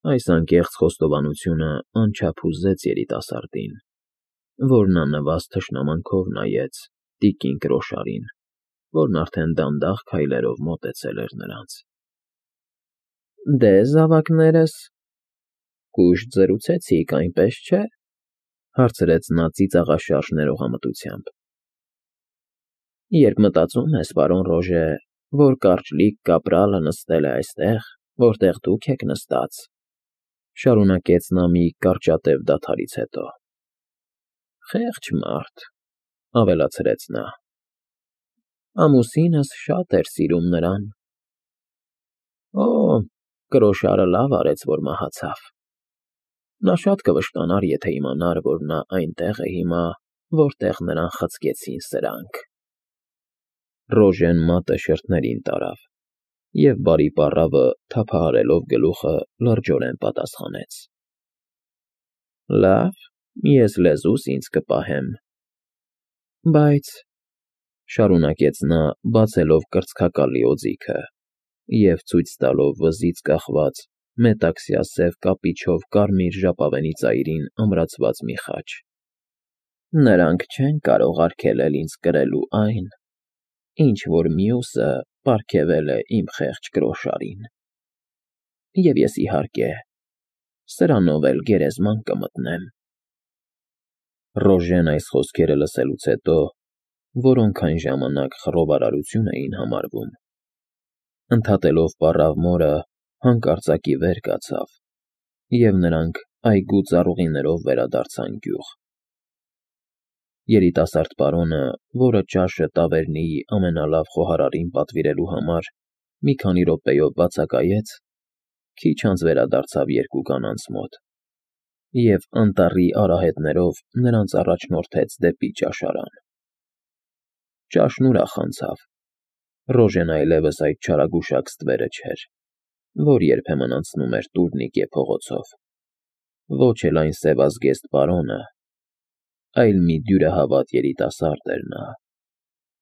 Այս անկեղծ խոստովանությունը անչափ հուզեց երիտասարդին, որն աննվազ թշնամանքով նայեց տիկին Կրոշարին, որն արդեն դանդաղ քայլերով մոտեցել էր նրանց։ ֊ Դե, զավակներս, կուշտ զրուցեցիք, այնպես չէ՞, հարցրեց նա ծիծաղաշարժ ներողամտությամբ։ Երբ մտածում ես, պարոն Ռոժե, որ կարճլիկ կապրալը նստել է այստեղ, որտեղ դուք եք նստած, շարունակեց նա մի կարճատև դադարից հետո, խեղճ մարդ, ավելացրեց նա, ամուսինս շատ էր սիրում նրան։ Օ, Կրոշարը լավ արեց, որ մահացավ։ Նա շատ կվշտանար, եթե իմանար, որ նա այնտեղ է հիմա, որտեղ նրան խցկեցին սրանք։ Ռոժեն մատը շրթներին տարավ և բարի պառավը թափահարելով գլուխը լրջորեն պատասխանեց. Լավ, ես լեզուս ինձ կպահեմ։ Բայց, շարունակեց նա, բացելով կրծքակալի օձիքը և ցույց տալով վզից կախված մետաքսյա սև կապիչով կարմիր ժապավենի ծայրին ամրացված մի խաչ. նրանք չեն կարող արգելել ինձ կրելու այն, ինչ որ մյուսը պարգևել է իմ խեղճ Կրոշարին։ Եվ ես, իհարկե, սրանով էլ գերեզման կմտնեմ։ Ռոժեն այս խոսքերը լսելուց հետո, որոնք այն ժամանակ խռովարարություն էին համարվում, ընդհատելով պառավ մորը, հանկարծակի վեր կացավ, և նրանք այգու ծառուղիներով վերադարձան գյուղ։ Երիտասարդ պարոնը, որը ճաշը տավերնիի ամենալավ խոհարարին պատվիրելու համար մի քանի րոպեով բացակայեց, քիչ անց վերադարձավ երկու կանանց մոտ և անտառի արահետներով նրանց առաջնորդեց դեպի ճաշարան։ Ճաշն ուրախ անցավ։ Ռոժեն այլևս այդ չարագուշակ ստվերը չէր, որ երբեմն անցնում էր տուրնիկե փողոցով, ոչ էլ այն սևազգեստ պարոնը, այլ մի դյուրահավատ երիտասարդ էր նա,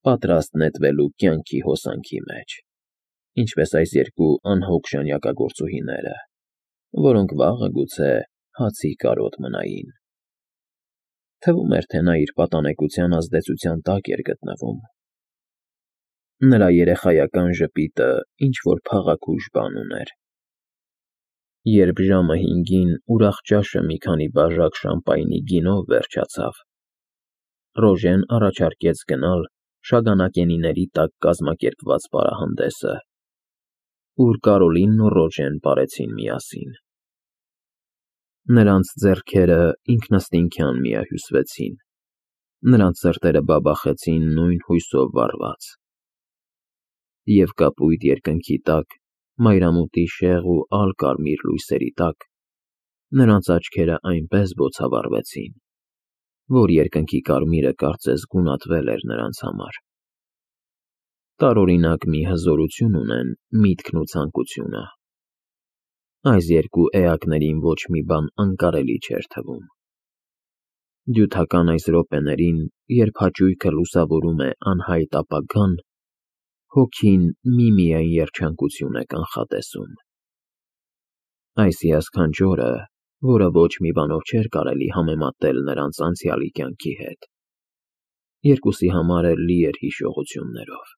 պատրաստ նետվելու կյանքի հոսանքի մեջ, ինչպես այս երկու անհոգ ժանյակագործուհիները, որոնք վաղը գուցե հացի կարոտ մնային։ Թվում էր, թե նա իր պատանեկության ազդեցության տակ էր գտնվում։ Նրա երեխայական ժպիտը ինչ-որ փաղաքուշ բան ուներ։ Երբ ժամը 5-ին ուրախ ճաշը մի քանի բաժակ շամպայնի գինով վերջացավ, Ռոժեն առաջարկեց գնալ շագանակենիների տակ կազմակերպված պարահանդեսը, ուր Կարոլինն ու Ռոժեն պարեցին միասին։ Նրանց ձեռքերը ինքնըստինքյան միահյուսվեցին, նրանց սրտերը բաբախեցին նույն հույսով վառված։ Եվ կապույտ երկնքի տակ, մայրամուտի շեղ ու ալ֊կարմիր լույսերի տակ, նրանց աչքերը այնպես բոցավառվեցին, որ երկնքի կարմիրը կարծես գունատվել էր նրանց համար։ Տարօրինակ մի հզորություն ունեն միտքն ու ցանկությունը։ Այս երկու էակներին ոչ մի բան անկարելի չէր թվում։ Դյութական այս րոպեներին, երբ հաճույքը լուսավորում է անհայտ ապագան, հոգին միմիայն երջանկություն է կանխատեսում։ Այս հիասքանչ օրը, որը ոչ մի բանով չէր կարելի համեմատել նրանց անցյալի կյանքի հետ, երկուսի համար էլ լի էր հիշողություններով։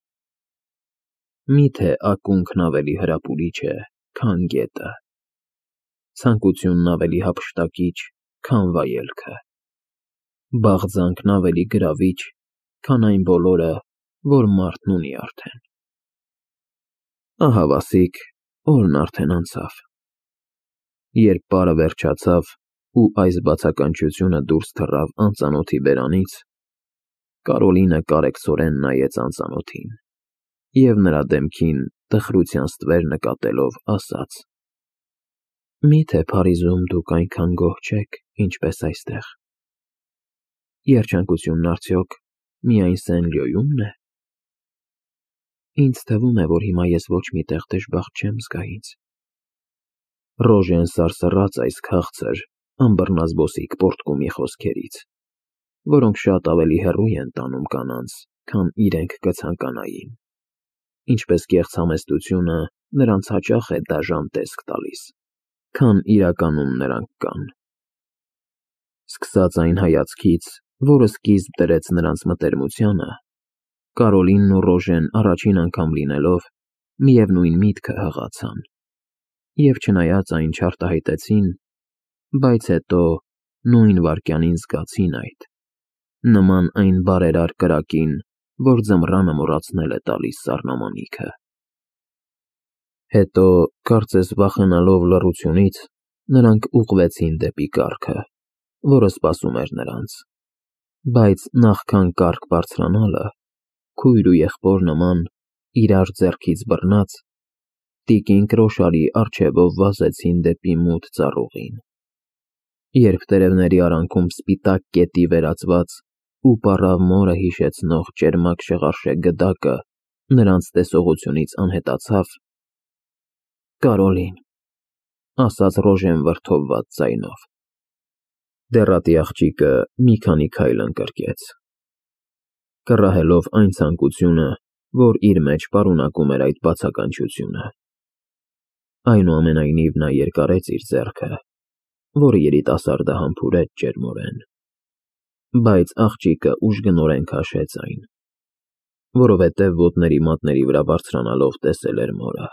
Մի՞թե ակունքն ավելի հրապուրիչ է, քան գետը, ցանկությունն ավելի հափշտակիչ, քան վայելքը, բաղձանքն ավելի գրավիչ, քան այն բոլորը, որ մարդն ունի արդեն։ Ահա, wasik, օրն արդեն անցավ։ Երբ պարը վերջացավ ու այս բացականչությունը դուրս թռավ անծանոթի բերանից, Կարոլինը կարեկցորեն նայեց անծանոթին և նրա դեմքին տխրության ստվեր նկատելով ասաց. Մի՞թե Փարիզում դուք այնքան գոհ չեք, ինչպես այստեղ։ Երջանկությունն արդյոք միայն Սեն֊Լյոյումն է։ Ինձ թվում է, որ հիմա ես ոչ մի տեղ դժբախտ չեմ զգա ինձ։ Ռոժեն սարսռաց այս քաղցր, անբռնազբոսիկ պոռթկումի խոսքերից, որոնք շատ ավելի հեռու են տանում կանանց, քան իրենք կցանկանային, ինչպես կեղծ համեստությունը նրանց հաճախ է դաժան տեսք տալիս։ քան իրականում նրանք կան։ Սկսած այն հայացքից, որը սկիզբ դրեց նրանց մտերմությանը, Կարոլինն ու Ռոժեն առաջին անգամ լինելով միևնույն միտքը հղացան, և չնայած այն չարտահայտեցին, բայց հետո նույն վայրկյանին զգացին այդ, նման այն բարերար կրակին, որ ձմռանը մոռացնել է տալիս սառնամանիքը։ Հետո, կարծես վախենալով լռությունից, նրանք ուղղվեցին դեպի կառքը, որը սպասում էր նրանց, բայց նախքան կառք բարձրանալը, քույր ու եղբոր նման, իրար ձեռքից բռնած, տիկին Կրոշարի առջևով վազեցին դեպի մութ ծառուղին։ Երբ տերևների արանքում սպիտակ կետի վերածված ու պառավ մորը հիշեցնող ճերմակ շղարշե գդակը նրանց տեսողությունից անհետացավ, «Կարոլին», ասաց Ռոժեն վրդովված ձայնով։ Դեռատի աղջիկը մի քանի քայլ ընկրկեց, կռահելով այն ցանկությունը, որ իր մեջ պարունակում էր այդ բացականչությունը։ Այնուամենայնիվ նա երկարեց իր ձեռքը, որը երիտասարդը համբուրեց ջերմորեն, բայց աղջիկը ուժգնորեն քաշեց այն, որովհետև ոտների մատների վրա բարձրանալով տեսել էր մորը։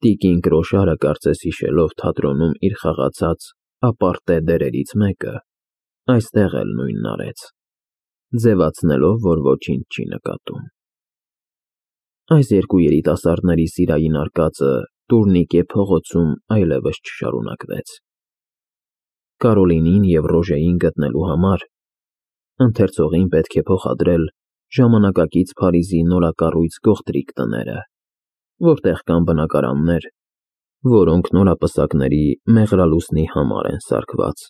Տիկին Կրոշարը կարծես հիշելով թատրոնում իր խաղացած ապարտե դերերից մեկը, այստեղ էլ նույնն արեց, ձևացնելով, որ ոչինչ չի նկատում։ Այս երկու երիտասարդների սիրային արկածը տուրնիկե փողոցում այլևս չշարունակվեց։ Կարոլինին և Ռոժեին գտնելու համար ընթերցողին պետք է փոխադրել ժամանակակից Փարիզի նորակառույց գողտրիկ տները, որտեղ կան բնակարաններ, որոնք նորապսակների մեղրալուսնի համար են սարքված։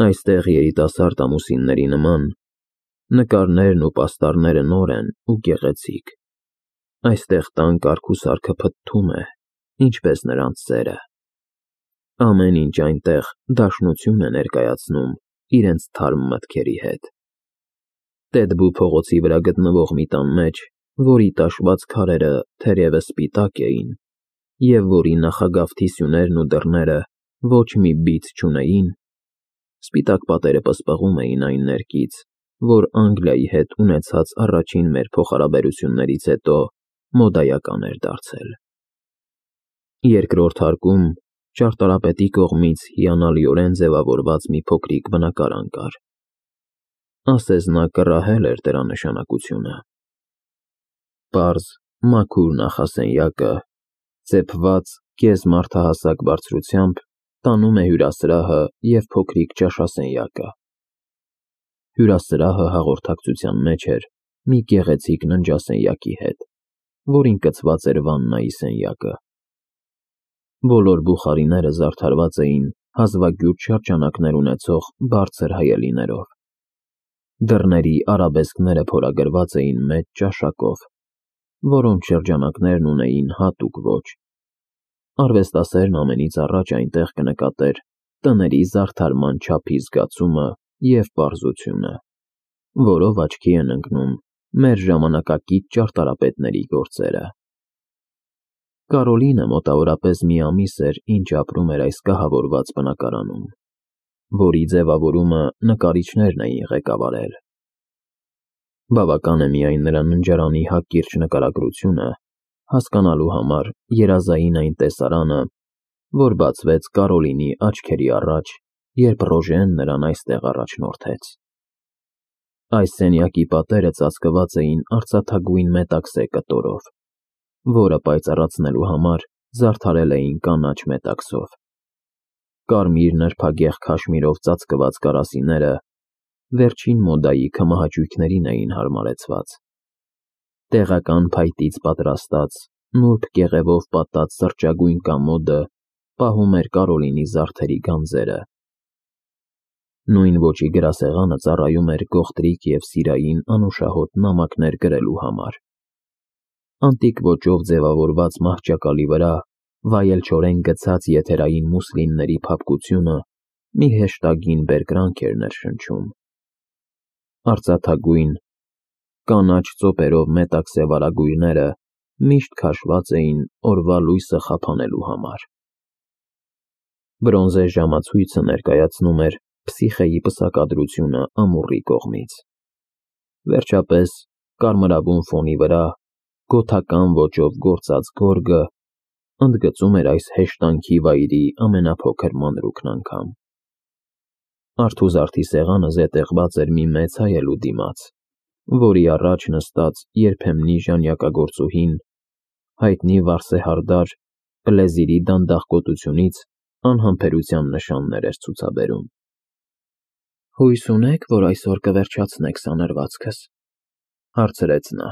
Այստեղ երիտասարդ ամուսինների նման, նկարներն ու պաստառները նոր են ու գեղեցիկ։ Այստեղ տան կարգուսարքը փթթում է, ինչպես նրանց սերը։ Ամեն ինչ այնտեղ դաշնություն է ներկայացնում իրենց թարմ մտքերի հետ։ Տեդբու փողոցի վրա գտնվող մի տան մեջ, որի տաշված քարերը թերևս սպիտակ էին, և որի նախագավթի սյուներն ու դռները ոչ մի բիծ չունեին, սպիտակ պատերը պսպղում էին այն ներկից, որ Անգլիայի հետ ունեցած առաջին մեր փոխհարաբերություններից հետո մոդայական էր դարձել։ Երկրորդ հարկում ճարտարապետի կողմից հիանալիորեն ձևավորված մի փոքրիկ բնակարան կար։ Ասես նա կռահել էր դրա նշանակությունը։ Պարզ, մաքուր նախասենյակը, ծեփված կես-մարդահասակ բարձրությամբ, տանում է հյուրասրահը և փոքրիկ ճաշասենյակը։ Հյուրասրահը հաղորդակցության մեջ էր մի գեղեցիկ ննջասենյակի հետ, որին կցված էր վաննայի սենյակը։ Բոլոր բուխարիները զարդարված էին հազվագյուտ շրջանակներ ունեցող բարձր հայելիներով։ Դռների արաբեսկները փորագրված էին մեծ ճաշակով, որոնց շրջանակներն ունեին հատուկ ոճ։ Արվեստասերն ամենից առաջ այնտեղ կնկատեր տների զարդարման չափի զգացումը և պարզությունը, որով աչքի են ընկնում մեր ժամանակակից ճարտարապետների գործերը։ Կարոլինը մոտավորապես մի ամիս էր, ինչ ապրում էր այս կահավորված բնակարանում, որի ձևավորումը նկարիչներն էին ղեկավարել։ Բավական է միայն նրա ննջարանի հակիրճ նկարագրությունը հասկանալու համար երազային այն տեսարանը, որ բացվեց Կարոլինի աչքերի առաջ, երբ Ռոժեն նրան այստեղ առաջնորդեց։ Այս սենյակի պատերը ծածկված էին արծաթագույն մետաքսե կտորով, որը պայծառացնելու համար զարդարել էին կանաչ մետաքսով։ Կարմիր նրբագեղ քաշմիրով ծածկված կարասիները վերջին մոդայի քմահաճույքներին էին հարմարեցված։ Տեղական փայտից պատրաստած, նուրբ կեղևով պատած սրճագույն կամոդը պահում էր Կարոլինի զարդերի գանձերը։ Նույն ոճի գրասեղանը ծառայում էր գողտրիկ և սիրային անուշահոտ նամակներ գրելու համար։ Անտիկ ոճով ձևավորված մահճակալի վրա վայելչորեն գցած եթերային մուսլինների փափկությունը մի հեշտագին բերկրանք էր ներշնչում։ Արծաթագույն, կանաչ ծոպերով մետաքսե վարագույրները միշտ քաշված էին օրվա լույսը խափանելու համար։ Բրոնզե ժամացույցը ներկայացնում էր Փսիխեի պսակադրությունը ամուռի կողմից։ Վերջապես, կարմրավուն ֆոնի վրա գոթական ոճով գործած գորգը ընդգծում էր այս հեշտանքի վայրի ամենափոքր մանրուքն անգամ։ Արթուզարդի սեղանը զետեղված էր մի մեծ հայելու դիմաց, որի առաջ նստած երբեմնի ժանյակագործուհին հայտնի վարսեհարդար Պլեզիրի դանդաղ կոտությունից անհամբերության նշաններ էր ցուցաբերում։ «Հույս ունե՞ք, որ այսօր կվերջացնեք սանրվածքս», հարցրեց նա։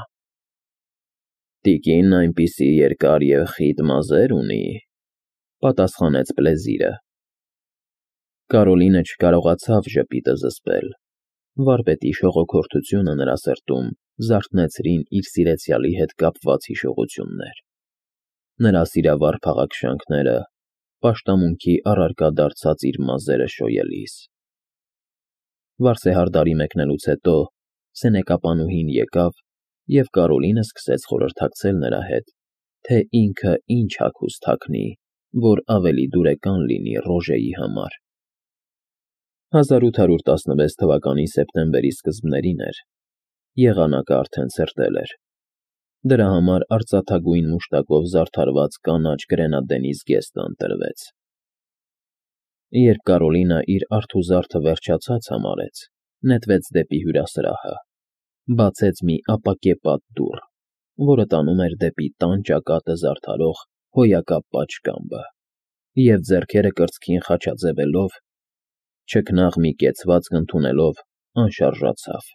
«Տիկինն այնպիսի երկար և խիտ մազեր ունի», պատասխանեց Պլեզիրը։ Կարոլինը չկարողացավ ժպիտը զսպել։ Վարպետի շողոքորթությունը նրա սրտում զարթնեցրին իր սիրեցյալի հետ կապված հիշողություններ։ Նրա սիրավառ փաղաքշանքները, պաշտամունքի առարկա դարձած իր մազերը շոյելիս։ Վարսեհարդարի մեկնելուց հետո սենեկապանուհին եկավ, և Կարոլինը սկսեց խորհրդակցել նրա հետ, թե ինքը ինչ հագուստ հագնի, որ ավելի դուրեկան լինի Ռոժեի համար։ 1816 թվականի սեպտեմբերի սկզբներին էր, եղանակը արդեն ցրտել էր։ Դրա համար արծաթագույն մուշտակով զարդարված կանաչ գրենադենի զգեստը ընտրվեց։ Երբ Կարոլինը իր արթուզարդը վերջացած համարեց, նետվեց դեպի հյուրասրահը, բացեց մի ապակեպատ դուռ, որը տանում էր դեպի տան ճակատը զարդարող հոյակապ պատշգամբը, և ձեռքերը կրծքին խաչաձևելով, չքնաղ մի կեցվածք ընդունելով, անշարժացավ։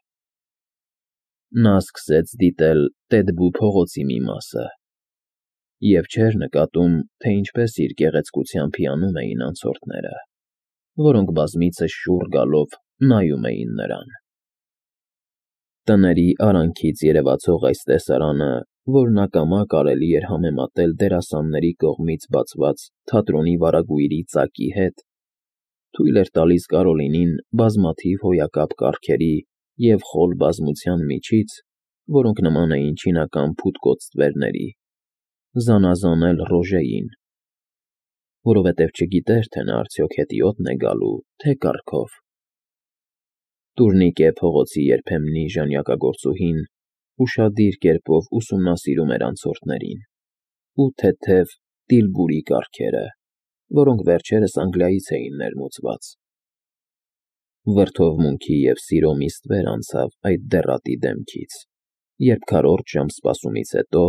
Նա սկսեց դիտել Տեդբու փողոցի մի մասը և չէր նկատում, թե ինչպես իր գեղեցկությամբ հիանում էին անցորդները, որոնք բազմիցս շուռ գալով նայում էին նրան։ Տների արանքից երևացող այս տեսարանը, որն ակամա կարելի էր համեմատել դերասանների կողմից բացված թատրոնի վարագույրի ծակի հետ, թույլ էր տալիս Կարոլինին բազմաթիվ հոյակապ կառքերի և խոլ բազմության միջից, որոնք նման էին չինական փութկոծ ստվերների, զանազանել Ռոժեին, որովհետև չգիտեր, թե նա արդյոք հետիոտն է գալու, թե կառքով։ Տուրնիկե փողոցի երբեմնի ժանյակագործուհին ուշադիր կերպով ուսումնասիրում էր անցորդներին ու թեթև տիլբուրի կառքերը, որոնք վերջերս Անգլիայից էին ներմուծված։ Վրդովմունքի և սիրո մի ստվեր անցավ այդ դեռատի դեմքից, երբ քառորդ ժամ սպասումից հետո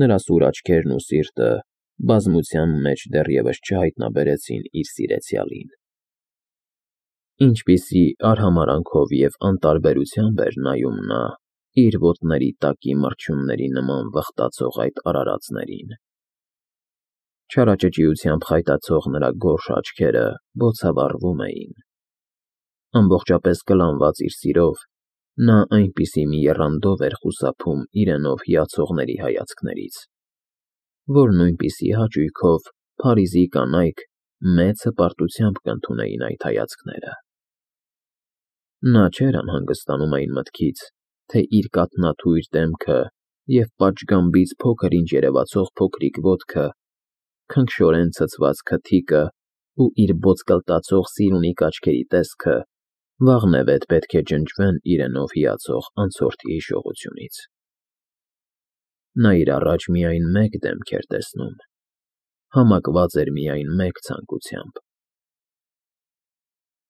նրա սուր աչքերն ու սիրտը բազմության մեջ դեռևս չհայտնաբերեցին իր սիրեցյալին։ Ինչպիսի արհամարհանքով և անտարբերությամբ էր նայում նա իր ոտների տակի մրջյունների նման վխտացող այդ արարածներին։ Չարաճճիությամբ խայտացող նրա գորշ աչքերը բոցավառվում էին։ Ամբողջապես կլանված իր սիրով, նա այնպիսի մի եռանդով էր խուսափում իրենով հիացողների հայացքներից, որ նույնպիսի հաճույքով Փարիզի կանայք մեծ հպարտությամբ կընդունեին այդ հայացքները։ Նա չէր անհանգստանում այն մտքից, թե իր կաթնաթույր դեմքը և պատշգամբից փոքր-ինչ երևացող փոքրիկ ոտքը, քնքշորեն ցցված քթիկը ու իր ոտկլտացող սիրունիկ աչքերի տեսքը վաղնևեթ պետք է ջնջվեն իրենով հիացող անցորդի հիշողությունից։ Նա իր առաջ միայն մեկ դեմք էր տեսնում, համակված էր միայն մեկ ցանկությամբ՝